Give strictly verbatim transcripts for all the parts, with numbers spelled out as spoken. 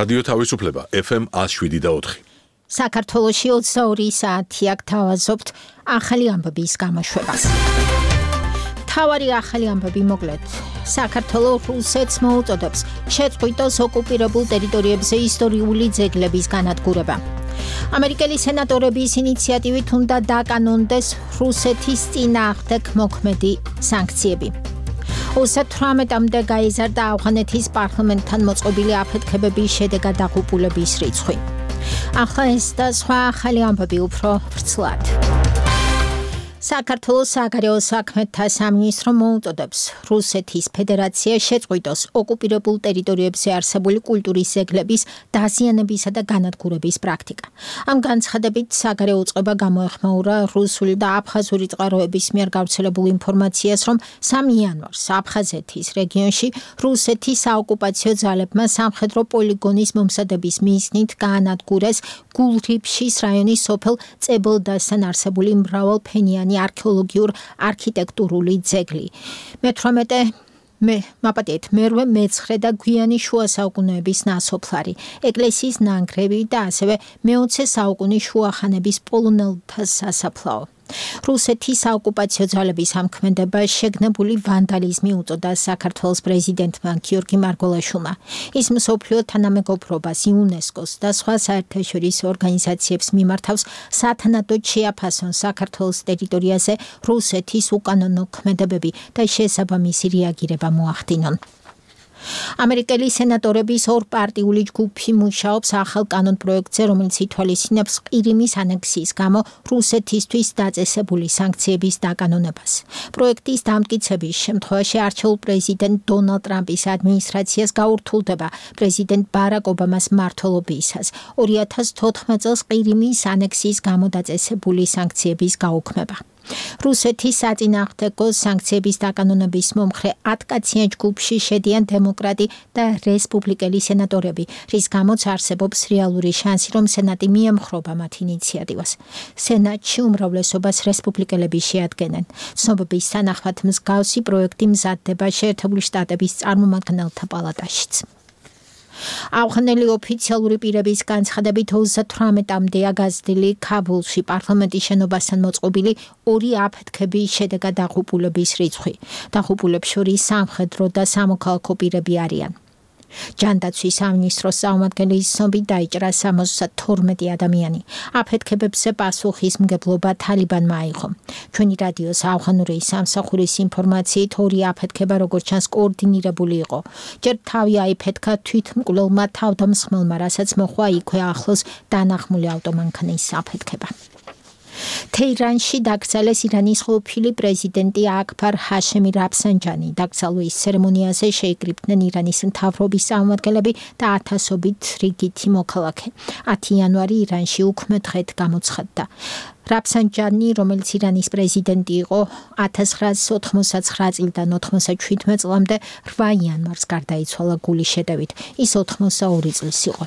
რადიო თავისუფლება ეფ ემ one oh seven და four. საქართველოში ოცდაორი საათი აქ თავაზობთ ახალი ამბების გამოშვებას. თავარი ახალი ამბები მოკლედ. საქართველოს რუსეთს მოუწოდებს შეწყვიტოს ოკუპირებულ ტერიტორიებზე ისტორიული ძეგლების განადგურება. ამერიკელი სენატორების ინიციატივით უნდა დაკანონდეს რუსეთის წინააღმდეგ მოქმედი სანქციები. ოცდათვრამეტამდე გაიზარდა ავღანეთის პარლამენტთან მოწყობილი აფეთქებების შედეგად დაღუპულების რიცხვი. ახლა ეს და სხვა ახალი ამბები უფრო ვრცლად. საქართველოს საგარეო საქმეთა სამინისტრო მოუწოდებს რუსეთის ფედერაციას შეწყვიტოს ოკუპირებულ ტერიტორიებზე არსებული კულტურის ძეგლების დაზიანებისა და განადგურების პრაქტიკა. ამ განცხადებით საგარეო უწყება გამოეხმაურა რუსული და აფხაზური წყაროების მიერ გავრცელებულ ინფორმაციას, რომ სამი იანვარს აფხაზეთის რეგიონში რუსეთის საოკუპაციო ძალებმა სამხედრო პოლიგონის მომზადების მიზნით გაანადგურეს გულრიფშის რაიონის სოფელ წებელდასთან არსებული მრავალფენიანი არქეოლოგიურ არქიტექტურული ძეგლი. მეთვრამეტე მე მაპატიეთ მერვე მეცხრე და გვიანი შუა საუკუნეების ნასოფლარი, ეკლესიის ნანგრევი და ასევე მეოცე საუკუნის შუახანების პოლონელთა სასაფლაო. რუსეთის საოკუპაციო ძალების ამქმედებას შეგნებული ვანდალიზმი უწოდა საქართველოს პრეზიდენტმა გიორგი მარგველაშვილმა. ის მსოფლიო თანამეგობრობას, იუნესკოს და სხვა საერთაშორისო ორგანიზაციებს მიმართავს სათანადოდ შეაფასონ საქართველოს ტერიტორიაზე რუსეთის უკანონო ქმედებები და შესაბამისი რეაგირება მოახდინონ. ამერიკელი სენატორების ორპარტიული ჯგუფი მუშაობს ახალ კანონპროექტზე, რომელიც ითვალისწინებს ყირიმის ანექსიის გამო რუსეთისთვის დაწესებული სანქციების დაკანონებას. პროექტის დამტკიცების შემთხვევაში არჩეულ პრეზიდენტ დონალდ ტრამპის ადმინისტრაციას გაურთულდება პრეზიდენტ ბარაკ ობამას მმართველობისას ორი ათას თოთხმეტ წელს ყირიმის ანექსიის გამო დაწესებული სანქციების გაუქმება. რუსეთის საწინააღმდეგო სანქციების დაკანონების მომხრე ათკაციან ჯგუფში შედიან დემოკრატი და რესპუბლიკელი სენატორები, რის გამოც არსებობს რეალური შანსი, რომ სენატი მიემხრობა მათ ინიციატივას. სენატში უმრავლესობას რესპუბლიკელები შეადგენენ. ცნობების თანახმად მსგავსი პროექტი მზადდება შეერთებული შტატების წარმომადგენელთა პალატაშიც. ავღანელი ოფიციალური პირების განცხადებით ოცდათვრამეტამდეა გაზრდილი ქაბულში პარლამენტის შენობასთან მოწყობილი ორი აფეთქების შედეგად დაღუპულების რიცხვი. დაღუპულებს შორის სამხედრო და სამოქალაქო პირები არიან. ჯანდაცვის სამინისტროს წარმომადგენლის ცნობით დაიჭრა სამოცდათორმეტი ადამიანი. აფეთქებებზე პასუხისმგებლობა თალიბანმა აიღო. ჩვენი რადიოს ავღანური სამსახურის ინფორმაციით ორი აფეთქება როგორც ჩანს კოორდინირებული იყო. ჯერ თავი აიფეთქა თვითმკვლელმა თავდამსხმელმა, რასაც მოჰყვა იქვე ახლოს დანახმული ავტომანქანის აფეთქება. თეირანში დაკრძალეს ირანის ყოფილი პრეზიდენტი აკბარ ჰაშემი რაფსანჯანი. დაკრძალვის ცერემონიაზე შეიკრიბნენ ირანის მთავრობის წარმომადგენლები და ათასობით რიგითი მოქალაქე. ათი იანვარი ირანში უქმე დღედ გამოცხადდა. რაფსანჯანი, რომელიც ირანის პრეზიდენტი იყო ათას ცხრაასი ოთხმოცდათცხრა წლიდან ოთხმოცდაჩვიდმეტ წლამდე, რვა იანვარს გარდაიცვალა გულის შეტევით. ის ოთხმოცდაორი წლის იყო.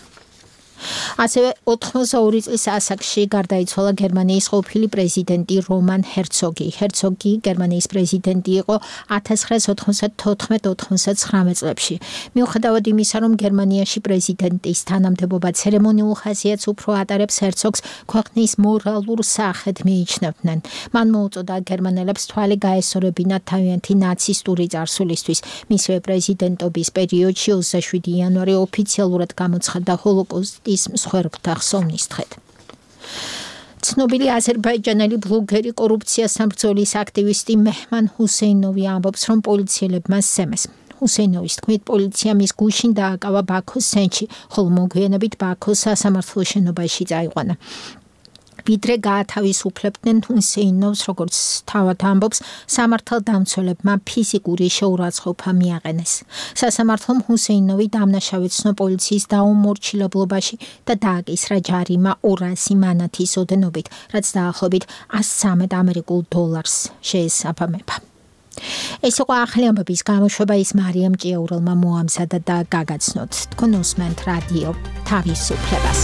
ასევე ოთხმოცდაორი წლის ასაკში გარდაიცვალა გერმანიის ყოფილი პრეზიდენტი რომან ჰერცოგი. ჰერცოგი გერმანიის პრეზიდენტი იყო ათას ცხრაასი ოთხმოცდათოთხმეტ ოთხმოცდათცხრამეტ წლებში. მიუხედავად იმისა, რომ გერმანიაში პრეზიდენტის თანამდებობა ცერემონიულ ხასიათს უფრო ატარებს, ჰერცოგს ქვეყნის მორალურ სახედ მიიჩნევდნენ. მან მოუწოდა გერმანელებს თვალი გაესწორებინათ თავიანთი ნაცისტური წარსულისთვის. მისივე პრეზიდენტობის პერიოდში ოცდაშვიდი იანვარი ოფიციალურად გამოცხადდა ჰოლოკოსტის მსხვერპლთა ხსოვნის დღედ. ცნობილი აზერბაიჯანელი ბლოგერი კორუფციასთან ბრძოლის აქტივისტი მეჰმან ჰუსეინოვი ამბობს, რომ პოლიციელებმა სცემეს. ჰუსეინოვის თქმით, პოლიცია მის გუშინ დააკავა ბაქოს ცენტრში, ხოლო მოგვიანებით ბაქოს სასამართლო შენობაში წაიყვანა. ვიდრე გაათავისუფლებდნენ ჰუსეინოვს, როგორც თავად ამბობს, სამართალდამცველებმა ფიზიკური შეურაცხყოფა მიაყენეს. სასამართლომ ჰუსეინოვი დამნაშავეცნო პოლიციის დაუმორჩილებლობაში და დააკისრა ჯარიმა ორასი მანათის ოდენობით, რაც დაახლოებით ას ცხრამეტ ამერიკულ დოლარს შეესაბამება. ეს იყო ახალი ამბების გამოშვება, ის მარიამ ჭიაურელმა მოამზადა და გაგაცნოთ. თქვენ უსმენთ რადიო თავისუფლებას.